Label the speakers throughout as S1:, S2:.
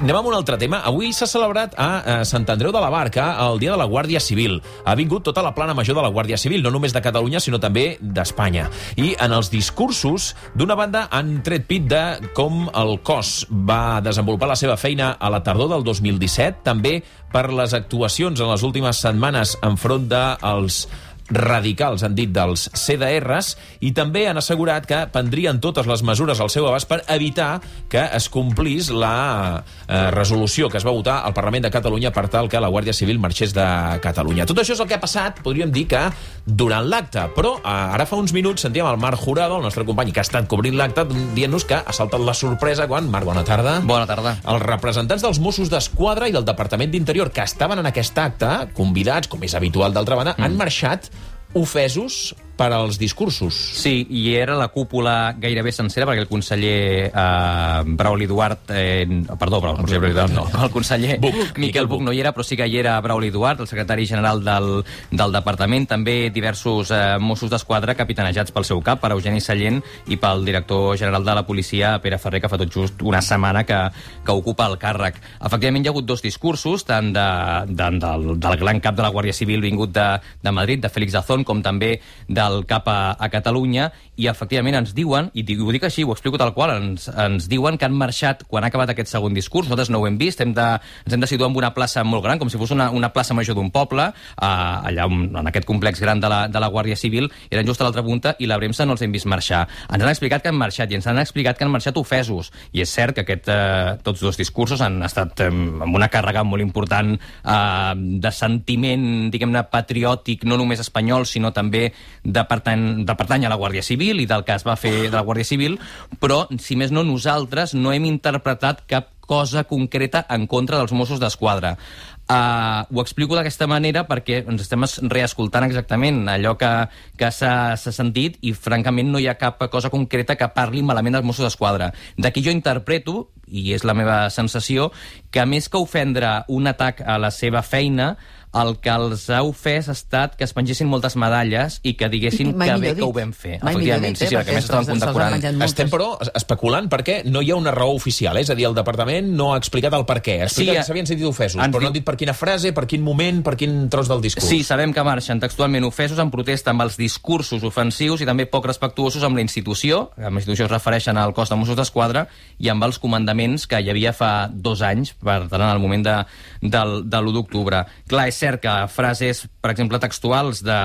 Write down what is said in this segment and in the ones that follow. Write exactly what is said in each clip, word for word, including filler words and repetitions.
S1: anem amb un altre tema. Avui s'ha celebrat a Sant Andreu de la Barca el Dia de la Guàrdia Civil. Ha vingut tota la plana major de la Guàrdia Civil, no només de Catalunya, sinó també d'Espanya. I en els discursos, d'una banda, han tret pit de com el cos va desenvolupar la seva feina a la tardor del dos mil disset, també per les actuacions en les últimes setmanes enfront dels radicals, han dit, dels C D Rs, i també han assegurat que prendrien totes les mesures al seu abast per evitar que es complís la eh, resolució que es va votar al Parlament de Catalunya per tal que la Guàrdia Civil marxés de Catalunya. Tot això és el que ha passat, podríem dir que durant l'acte, però eh, ara fa uns minuts sentíem el Marc Jurado, el nostre company que ha estat cobrint l'acte, dient-nos que ha saltat la sorpresa quan, Marc, bona tarda.
S2: Bona tarda.
S1: Els representants dels Mossos d'Esquadra i del Departament d'Interior que estaven en aquest acte, convidats, com és habitual d'altra banda, mm. han marxat ofesos per als discursos.
S2: Sí, i era la cúpula gairebé sencera, perquè el conseller eh, Brauli Duart... Eh, perdó, però el conseller Brauli Duart no. El conseller Buch, Miquel Buch no hi era, però sí que hi era Brauli Duart, el secretari general del, del departament, també diversos eh, Mossos d'Esquadra capitanejats pel seu cap, per Eugeni Sallent, i pel director general de la policia, Pere Ferrer, que fa tot just una setmana que, que ocupa el càrrec. Efectivament, hi ha hagut dos discursos, tant de, de, del, del gran cap de la Guàrdia Civil vingut de, de Madrid, de Félix Zazón, com també del cap a, a Catalunya, i efectivament ens diuen, i ho dic així, ho explico tal qual, ens, ens diuen que han marxat quan ha acabat aquest segon discurs. Nosaltres no ho hem vist, hem de, ens hem de situar en una plaça molt gran, com si fos una, una plaça major d'un poble, eh, allà en aquest complex gran de la, de la Guàrdia Civil, eren just a l'altra punta, i la premsa no els hem vist marxar. Ens han explicat que han marxat, i ens han explicat que han marxat ofesos, i és cert que aquest, eh, tots dos discursos han estat eh, amb una càrrega molt important eh, de sentiment, diguem-ne, patriòtic, no només espanyol, sinó també de pertany, de pertany a la Guàrdia Civil i del que es va fer de la Guàrdia Civil, però, si més no, nosaltres no hem interpretat cap cosa concreta en contra dels Mossos d'Esquadra. Uh, ho explico d'aquesta manera perquè ens estem reescoltant exactament allò que, que s'ha sentit, i francament no hi ha cap cosa concreta que parli malament dels Mossos d'Esquadra. D'aquí jo interpreto, i és la meva sensació, que més que ofendre un atac a la seva feina, el que els ha ofès ha estat que es pengessin moltes medalles i que diguessin I, que bé dit. que ho vam fer.
S3: Mai
S2: Efectivament,
S3: dit,
S2: sí, sí,
S3: eh,
S2: que més estaven condecorant.
S1: Estem, però, especulant perquè no hi ha una raó oficial, eh? És a dir, el departament no ha explicat el per què. Ha explicat sí, que s'havien sentit ofesos, però diu... no han dit per quina frase, per quin moment, per quin tros del discurs.
S2: Sí, sabem que marxen textualment ofesos en protesta amb els discursos ofensius i també poc respectuosos amb la institució, amb la institució es refereixen al cos de Mossos d'Esquadra, i amb els comandaments que hi havia fa dos anys, per tant, en el moment de, del, de l'u d'octubre. Clar, és cert que frases, per exemple, textuals de,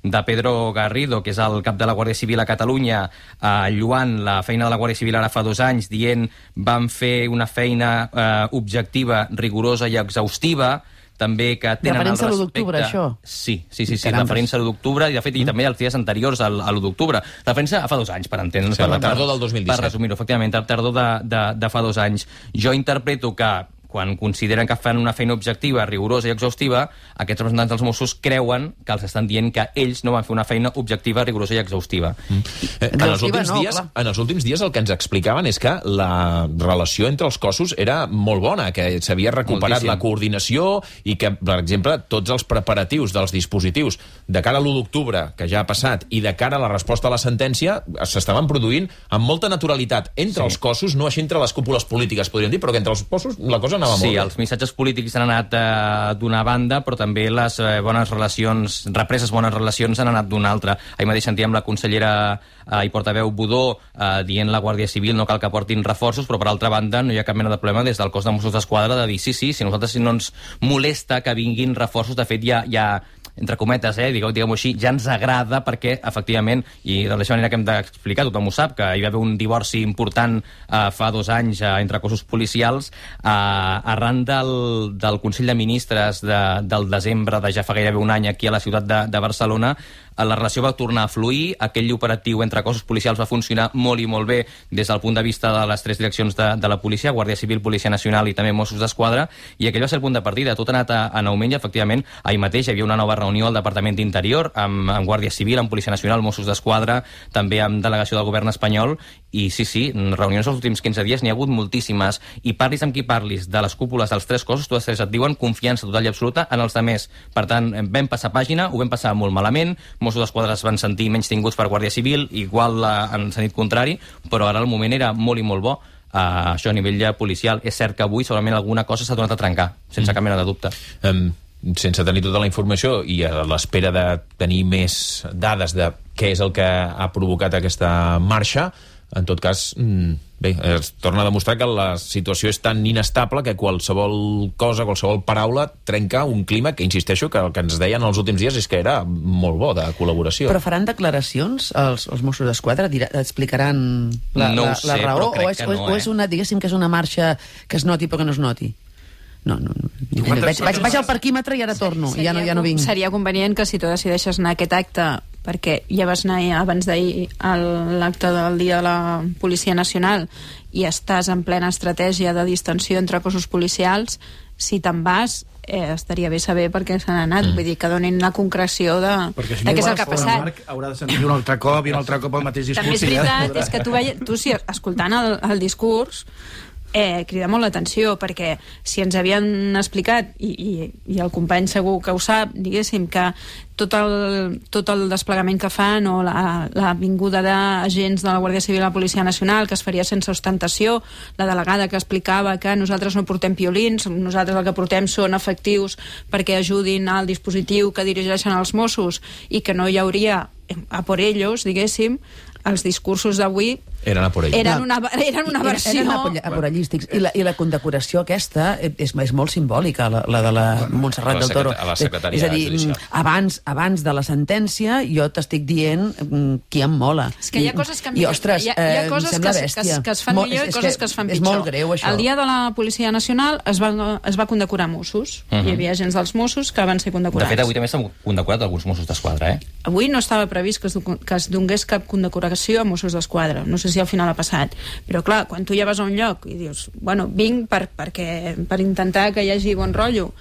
S2: de Pedro Garrido, que és el cap de la Guàrdia Civil a Catalunya, eh, lluant la feina de la Guàrdia Civil ara fa dos anys, dient vam fer una feina eh, objectiva, rigorosa i exhaustiva, també que tenen el respecte...
S3: Referència a l'u d'octubre, això?
S2: Sí, sí, sí, sí, referència a l'u d'octubre, i de fet, i també als dies anteriors al, a l'u d'octubre. Referència a fa dos anys, per entendre'ns.
S1: Sí, la tardor del dos mil disset.
S2: Per resumir-ho, efectivament, la tardor de, de, de fa dos anys. Jo interpreto que quan consideren que fan una feina objectiva, rigorosa i exhaustiva, aquests representants dels Mossos creuen que els estan dient que ells no van fer una feina objectiva, rigorosa i exhaustiva. Mm.
S1: Eh, en, els últims no, dies, en els últims dies el que ens explicaven és que la relació entre els cossos era molt bona, que s'havia recuperat Moltíssim. la coordinació i que, per exemple, tots els preparatius dels dispositius de cara a l'u d'octubre, que ja ha passat, i de cara a la resposta a la sentència, s'estaven produint amb molta naturalitat entre sí. els cossos, no així entre les cúpules polítiques, podríem dir, però que entre els cossos la cosa anava
S2: sí,
S1: molt bé.
S2: Els missatges polítics han anat eh, d'una banda, però també les eh, bones relacions, represes bones relacions han anat d'una altra. Ahir mateix sentíem la consellera eh, i portaveu Budó eh, dient la Guàrdia Civil no cal que portin reforços, però per altra banda no hi ha cap mena de problema des del cos de Mossos d'Esquadra de dir sí, sí, si nosaltres no ens molesta que vinguin reforços, de fet ja, ja entre cometes, eh, diguem-ho així, ja ens agrada perquè, efectivament, i de la manera que hem d'explicar, tothom ho sap, que hi va haver un divorci important eh, fa dos anys eh, entre cossos policials, eh, arran del, del Consell de Ministres de, del desembre de ja fa gairebé un any aquí a la ciutat de, de Barcelona, la relació va tornar a fluir, aquell operatiu entre cossos policials va funcionar molt i molt bé des del punt de vista de les tres direccions de, de la policia, Guàrdia Civil, Policia Nacional i també Mossos d'Esquadra, i aquell va ser el punt de partida. Tot ha anat a, en augment i, efectivament, ahir mateix hi havia una nova reunió al Departament d'Interior amb, amb Guàrdia Civil, amb Policia Nacional, Mossos d'Esquadra, també amb delegació del govern espanyol, i sí, sí, reunions els últims quinze dies n'hi ha hagut moltíssimes, i parlis amb qui parlis de les cúpules dels tres cossos, totes tres et diuen confiança total i absoluta en els altres. Per tant, vam passar pàgina, ho vam passar molt malament, Mossos d'Esquadra es van sentir menys tinguts per Guàrdia Civil, igual en sentit contrari, però ara el moment era molt i molt bo. Uh, això a nivell policial. És cert que avui segurament alguna cosa s'ha donat a trencar, sense mm. cap mena de dubte.
S1: Um, sense tenir tota la informació i a l'espera de tenir més dades de què és el que ha provocat aquesta marxa, en tot cas, bé, es torna a demostrar que la situació és tan inestable que qualsevol cosa, qualsevol paraula trenca un clima que, insisteixo, que el que ens deien els últims dies és que era molt bo, de col·laboració.
S3: Però faran declaracions els, els Mossos d'Esquadra? Explicaran la,
S2: no
S3: la,
S2: sé,
S3: la raó?
S2: però crec
S3: o és,
S2: que no,
S3: o és una, diguéssim, que és una marxa que es noti però que no es noti? No, no, no. Vaig, vaig, vaig al parquímetre i ara torno, i ja no, ja no vinc.
S4: Seria convenient que si tu decideixes anar a aquest acte, perquè ja vas anar abans d'ahir a l'acte del Dia de la Policia Nacional i estàs en plena estratègia de distensió entre cossos policials, si te'n vas, eh, estaria bé saber per què s'han anat, mm. vull dir, que donin la concreció de, si de què és el que ha passat.
S5: Marc haurà de sentir un altre cop i un altre cop el mateix discurs.
S4: També és veritat, ja és que tu, veia, tu si escoltant el, el discurs eh, crida molt l'atenció, perquè si ens havien explicat, i, i, i el company segur que ho sap, diguéssim, que tot el, tot el desplegament que fan o la, la vinguda d'agents de la Guàrdia Civil a la Policia Nacional, que es faria sense ostentació, la delegada que explicava que nosaltres no portem piolins, nosaltres el que portem són efectius perquè ajudin al dispositiu que dirigeixen els Mossos i que no hi hauria a por ellos, diguéssim, els discursos d'avui
S1: eren a por ells.
S4: Eren una, eren una versió...
S3: Eren aporallístics. I la, i la condecoració aquesta és, és molt simbòlica, la, la de la Montserrat del Toro.
S1: A la secretaria
S3: és a dir, judicial. Abans, abans de la sentència jo t'estic dient qui em mola.
S4: És que hi ha coses que...
S3: I, ostres,
S4: hi ha, hi ha coses
S3: em sembla
S4: que,
S3: bèstia.
S4: Que, que es fan
S3: Mol,
S4: millor i coses que, que es fan pitjor.
S3: És molt greu, això.
S4: El dia de la Policia Nacional es va, es va condecorar Mossos. Uh -huh. Hi havia agents dels Mossos que van ser condecorats.
S2: De fet, avui també s'han condecorat alguns Mossos d'Esquadra, eh?
S4: Avui no estava previst que es, que es donés cap condecoració a Mossos d'Esquadra. No sé si al final ha passat. Però clar, quan tu ja vas a un lloc i dius, bueno, vinc per, perquè, per intentar que hi hagi bon rotllo,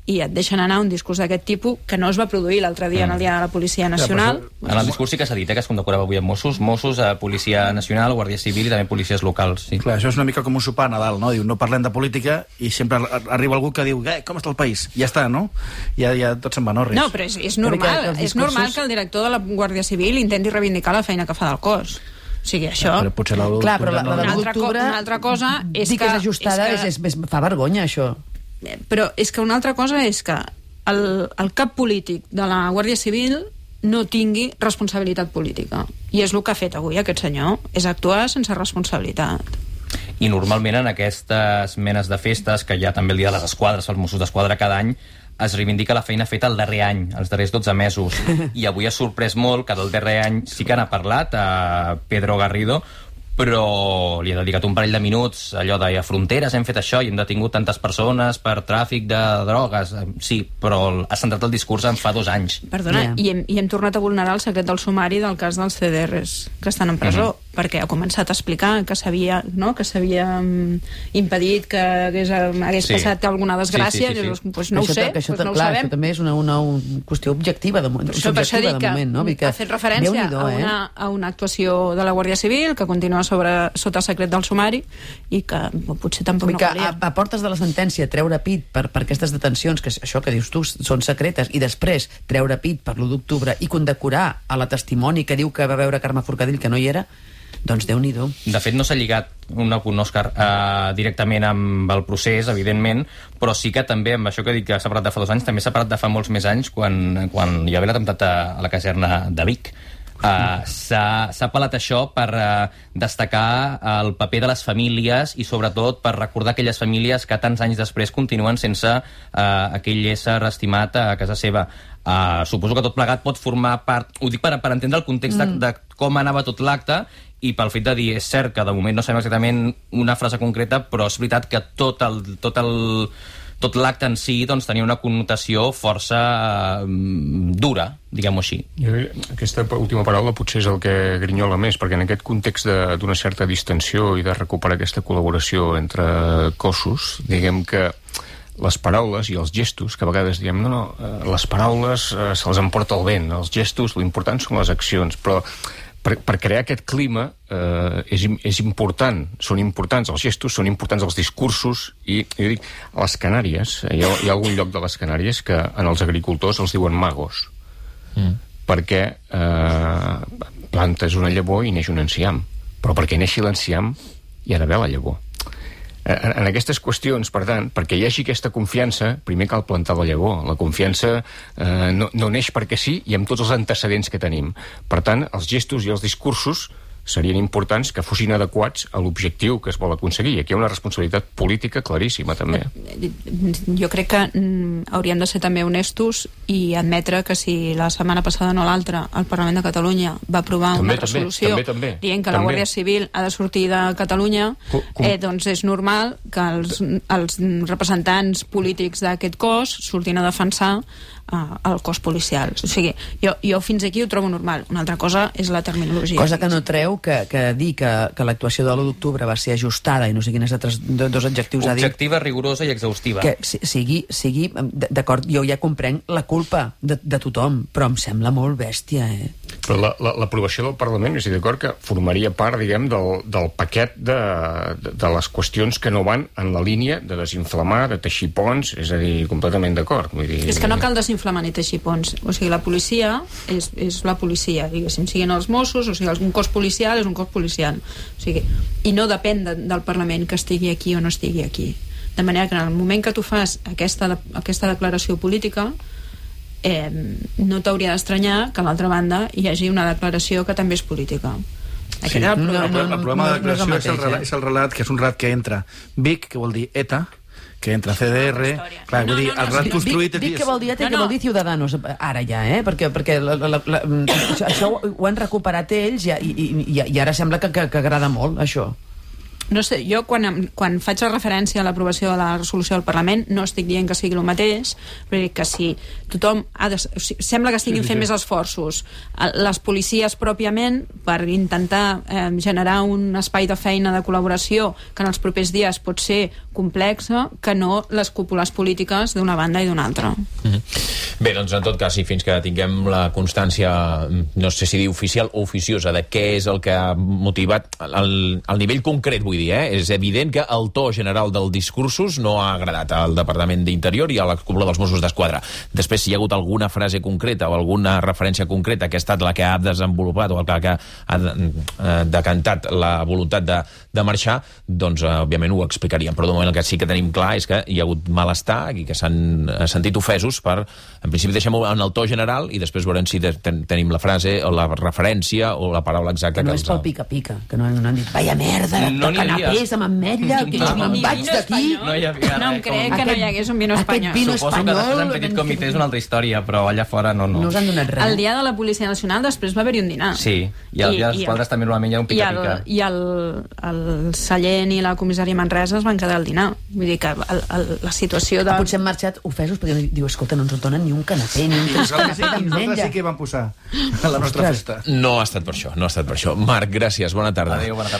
S4: i et deixen anar un discurs d'aquest tipus que no es va produir l'altre dia mm. en el dia de la Policia Nacional.
S2: Ja, en el discurs sí que s'ha dit eh, que es condecorava avui amb Mossos, Mossos, a Policia Nacional, Guàrdia Civil i també policies locals. Sí.
S5: Clar, això és una mica com un sopar a Nadal, no? Diu, no parlem de política i sempre arriba algú que diu, eh, com està el país? I ja està, no? Ja, ja tot se'n va, no? Res.
S4: No, però és, és normal, discursos... és normal que el director de la Guàrdia Civil intenti reivindicar la feina que fa del cos. O sigui, això...
S5: Però potser la
S3: Clar, però la, la,
S4: una, altra co una altra cosa és que...
S3: que és ajustada, és, és, és, fa vergonya, això.
S4: Però és que una altra cosa és que el, el cap polític de la Guàrdia Civil no tingui responsabilitat política. I és el que ha fet avui aquest senyor, és actuar sense responsabilitat.
S2: I normalment en aquestes menes de festes, que hi ha també el dia de les esquadres, els Mossos d'Esquadra cada any, es reivindica la feina feta el darrer any, els darrers dotze mesos. I avui ha sorprès molt que del darrer any sí que n'ha parlat a Pedro Garrido, però li ha dedicat un parell de minuts allò de a fronteres hem fet això i hem detingut tantes persones per tràfic de drogues. Sí, però ha centrat el discurs en fa dos anys.
S4: Perdona, yeah. i, hem, i hem tornat a vulnerar el secret del sumari del cas dels C D Rs que estan en presó, uh-huh. perquè ha començat a explicar que s'havia no? que s'havia um, impedit que hagués, hagués sí. passat alguna desgràcia. Sí, sí, sí, sí. Pues no això, ho sé,
S3: això,
S4: pues no
S3: clar,
S4: ho sabem.
S3: Això també és una, una, una qüestió objectiva de,
S4: això,
S3: subjectiva de moment. No?
S4: Que ha fet referència a, una, a una actuació de la Guàrdia Civil que continua sobre, sota secret del sumari i que potser tampoc no volia.
S3: A, a portes de la sentència treure pit per, per aquestes detencions, que això que dius tu són secretes, i després treure pit per l'u d'octubre i condecorar a la testimoni que diu que va veure Carme Forcadell que no hi era, doncs Déu-n'hi-do.
S2: De fet, no s'ha lligat un punt Òscar eh, directament amb el procés, evidentment, però sí que també, amb això que dic que s'ha parlat de fa dos anys, també s'ha parlat de fa molts més anys, quan, quan hi va haver l'atemptat a, a la caserna de Vic. Uh, s'ha apel·lat això per uh, destacar el paper de les famílies i sobretot per recordar aquelles famílies que tants anys després continuen sense uh, aquell ésser estimat a casa seva. Uh, suposo que tot plegat pot formar part, ho dic per, per entendre el context mm. de, de com anava tot l'acte i pel fet de dir, és cert que de moment no sabem exactament una frase concreta, però és veritat que tot el, tot el tot l'acte en si doncs, tenia una connotació força eh, dura, diguem-ho així.
S6: Aquesta última paraula potser és el que grinyola més, perquè en aquest context d'una certa distensió i de recuperar aquesta col·laboració entre cossos, diguem que les paraules i els gestos, que a vegades diem no, no, les paraules eh, se'ls emporta el vent, els gestos, l'important són les accions, però Per, per crear aquest clima eh, és, és important, són importants els gestos, són importants els discursos i jo dic, a les Canàries hi ha, hi ha algun lloc de les Canàries que en els agricultors els diuen magos mm. perquè eh, plantes una llavor i neix un enciam, però perquè neixi l'enciam hi ha d'haver la llavor. En, en aquestes qüestions, per tant, perquè hi hagi aquesta confiança, primer cal plantar la llavor. La confiança eh, no, no neix perquè sí i amb tots els antecedents que tenim. Per tant, els gestos i els discursos serien importants que fossin adequats a l'objectiu que es vol aconseguir. Aquí hi ha una responsabilitat política claríssima, també.
S4: Jo crec que mm, hauríem de ser també honestos i admetre que si la setmana passada no l'altra el Parlament de Catalunya va aprovar
S6: també,
S4: una resolució
S6: també, també, també,
S4: dient que
S6: també.
S4: la Guàrdia Civil ha de sortir de Catalunya,
S6: com, com...
S4: Eh, doncs és normal que els, els representants polítics d'aquest cos surtin a defensar Uh, el cos policial. O sigui, jo, jo fins aquí ho trobo normal. Una altra cosa és la terminologia.
S3: Cosa que no treu que, que dir que, que l'actuació de l'u d'octubre va ser ajustada i no sé quins altres dos adjectius ha dit.
S2: Objectiva, rigorosa i exhaustiva.
S3: Que sigui, sigui d'acord, jo ja comprenc la culpa de, de tothom, però em sembla molt bèstia, eh?
S6: Però l'aprovació la, del Parlament, és d'acord que formaria part, diguem, del, del paquet de, de, de les qüestions que no van en la línia de desinflamar, de teixir ponts, és a dir, completament d'acord. Vull dir...
S4: És que no cal desinflamar ni teixir ponts. O sigui, la policia és, és la policia, diguéssim, siguin els Mossos, o sigui, un cos policial és un cos policial. O sigui, i no depèn de, del Parlament que estigui aquí o no estigui aquí. De manera que en el moment que tu fas aquesta, aquesta declaració política, eh, no t'hauria d'estranyar que a l'altra banda hi hagi una declaració que també és política.
S5: Sí. El problema, no, no, no, el problema de la declaració no és, el relat, és el relat, que és un relat que entra Vic, que vol dir ETA, que entra C D R, clar,
S4: no,
S5: vull dir,
S4: no, no,
S5: el relat construït...
S3: Dic, dic que vol dir ETA i
S4: no,
S3: que
S4: no.
S3: vol dir Ciudadanos, ara ja, eh? Perquè, perquè la, la, la, això, això ho han recuperat ells i, i, i, i ara sembla que, que, que agrada molt, això.
S4: No sé, jo quan, quan faig la referència a l'aprovació de la resolució del Parlament no estic dient que sigui el mateix, però dic que si tothom ha de, o sigui, sembla que estiguin fent més esforços les policies pròpiament per intentar eh, generar un espai de feina de col·laboració que en els propers dies pot ser complexa, que no les cúpules polítiques d'una banda i d'una altra.
S1: Mm-hmm. Bé, doncs en tot cas, i fins que tinguem la constància, no sé si dir oficial o oficiosa, de què és el que ha motivat el, el nivell concret, vull dir, eh? És evident que el to general dels discursos no ha agradat al Departament d'Interior i a la cúpula dels Mossos d'Esquadra. Després, si hi ha hagut alguna frase concreta o alguna referència concreta que ha estat la que ha desenvolupat o la que ha decantat la voluntat de, de marxar, doncs, eh, òbviament, ho explicaríem. Però de moment el que sí que tenim clar és que hi ha hagut malestar i que s'han sentit ofesos per, en principi, deixem-ho en el to general i després veurem si ten tenim la frase o la referència o la paraula exacta.
S3: Que no
S1: que
S3: és pel pica-pica, que no, no han dit vaya merda,
S2: no
S3: de canapés amb ametlla, que jo me'n vaig d'aquí.
S2: No hi havia
S4: No em crec que no hi hagués un vino espanyol.
S3: vino
S2: Suposo que després en petit comitè és una altra història, però allà fora no, no.
S3: No us han donat res.
S4: El dia de la Policia Nacional després va haver-hi un dinar.
S2: Sí, i el dia dels quadres també normalment hi ha un pica-pica.
S4: I el, el, el Sallent i la comissària Manresa es van quedar al dinar. Vull dir que el, el, la situació de...
S3: Potser han marxat ofesos perquè diu, escolta, no ens donen ni un canapé, ni un
S5: Nosaltres
S3: canapé
S5: sí, nosaltres sí que vam posar a la nostra festa.
S1: No ha estat per això, no ha estat per això. Marc, gràcies, bona tarda.
S2: Adéu, bona tarda.